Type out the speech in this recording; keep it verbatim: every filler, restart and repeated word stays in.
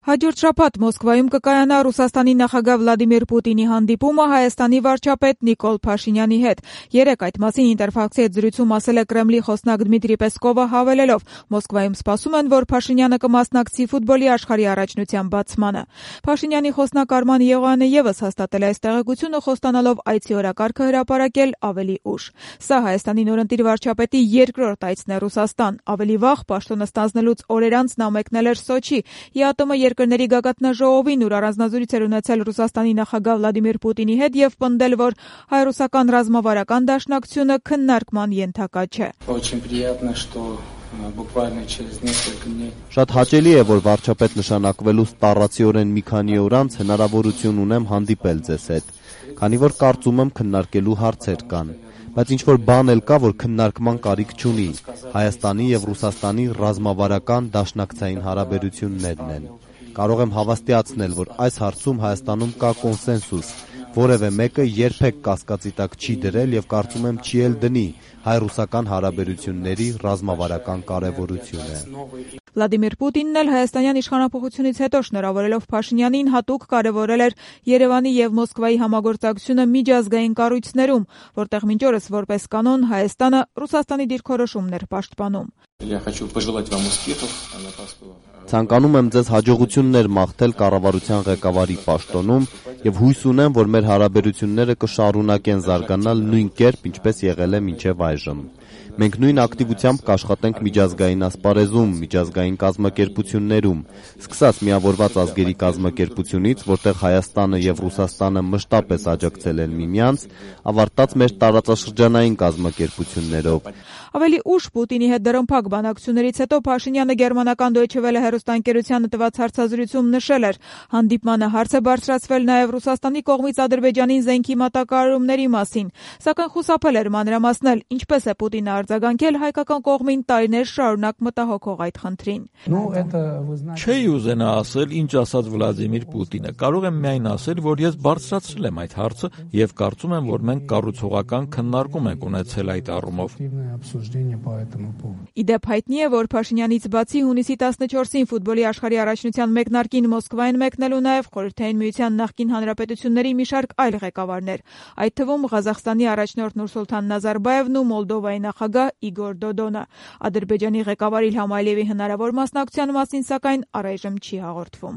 Հաջորդ շաբաթ Մոսկվայում կկայանա Ռուսաստանի նախագահ Վլադիմիր Պուտինի հանդիպումը Հայաստանի վարչապետ Նիկոլ Փաշինյանի հետ։ Երեկ այդ մասին Ինտերֆաքսի հետ զրույցում ասել է Կրեմլի խոսնակ Դմիտրի Պեսկովը, հավելելով. Մոսկվայում սպասում են, որ Փաշինյանը կմասնակցի ֆուտբոլի աշխարհի առաջնության բացմանը։ Փաշինյանի խոսնակ Արման Եղոյանը ևս հաստատել է այս տեղեկությունը, խոստանալով այցի օրակարգը հրապարակել ավելի ուշ։ Սա Հայաստանի նորընտիր վարչապետի երկրորդ այցն է Ռուսաստան։ Ավելի վաղ պաշտոնը ստանձնելուց օրեր անց նա մեկնել էր Սոչի՝ ԵԱՏՄ երկրների գագաթնաժողովին, ուր առանձնազրույց էր ունեցել Ռուսաստանի նախագահ Վլադիմիր Պուտինի հետ եւ պնդել, որ հայ-ռուսական ռազմավարական դաշնակցությունը քննարկման ենթակա չէ։ Շատ հաճելի է, որ վարչապետ նշանակվելուց տառացիորեն մի քանի օր անց հնարավորություն ունեմ հանդիպել ձեզ հետ, քանի որ կարծում եմ քննարկելու հարցեր կան, բայց ինչ-որ բան էլ կա, որ քննարկման կարիք չունի, Հայաստանի եւ Ռուսաստանի ռազմավարական դաշնակցային հարաբերություններն են։ Կարող եմ հավաստիացնել, որ այս հարցում Հայաստանում կա կոնսենսուս, որևէ մեկը երբեք կասկածի տակ չի դրել եւ կարծում եմ չի էլ դնի հայ-ռուսական հարաբերությունների ռազմավարական կարեւորությունը։ Վլադիմիր Պուտինն էլ հայաստանյան իշխանափոխությունից հետո շնորհավորելով Փաշինյանին հատուկ կարևորել էր Երևանի եւ Մոսկվայի համագործակցությունը միջազգային կառույցներում, որտեղ մինչ օրս որպես կանոն Հայաստանը Ռուսաստանի դիրքորոշումներ պաշտպանում։ Ցանկանում եմ ձեզ հաջողություններ մաղթել կառավարության ղեկավարի պաշտոնում եւ հույս ունեմ, որ մեր հարաբերությունները կշարունակեն զարգանալ նույն կերպ, ինչպես եղել է մինչեւ այժմ։ Մենք նույն ակտիվությամբ կաշխատենք միջազգային ասպարեզում, միջազգային կազմակերպություններում, սկսած Միավորված ազգերի կազմակերպությունից, որտեղ Հայաստանը եւ Ռուսաստանը մշտապես աջակցել են միմյանց, ավարտած մեր տարածաշրջանային կազմակերպություններով։ Ավելի ուշ Պուտինի հետ դրամփակ բանակցություններից հետո Փաշինյանը գերմանական Deutsche Welle հեռուստաընկերությանը տված հարցազրույցում նշել էր. հանդիպմանը հարց է բարձրացվել նաեւ Ռուսաստանի կողմից Ադրբեջանին զենքի մատակարարումների մասին, սակայն խուսափել էր մանրամասնել, ինչպես է Պուտինը արձագանքել հայկական կողմին տարիներ շարունակ մտահոգող այդ խնդրին։ Չէի ուզենա ասել, ինչ ասաց Վլադիմիր Պուտինը։ Կարող եմ միայն ասել, որ ես բարձրացրել եմ այդ հարցը եւ կարծում եմ, որ մենք կառուցողական քննարկում ենք ունեցել այդ առումով։ Իդեպ հայտնի է, որ Փաշինյանից բացի հունիսի տասնչորսին ֆուտբոլի աշխարհի առաջնության մեկնարկին Մոսկվային մեկնելու նաեւ Խորհրդային Միության նախկին հանրապետությունների մի շարք այլ ղեկավարներ, այդ թվում Ղազախստանի առաջնորդ Նուրսուլթան Նազարբաևն ու Մոլդովայի նախագահ Իգոր Դոդոնը։ Ադրբեջանի ղեկավար Իլհամ Ալիևի հնարավոր մասնակցության մասին, սակայն առայժմ չի հաղորդվում։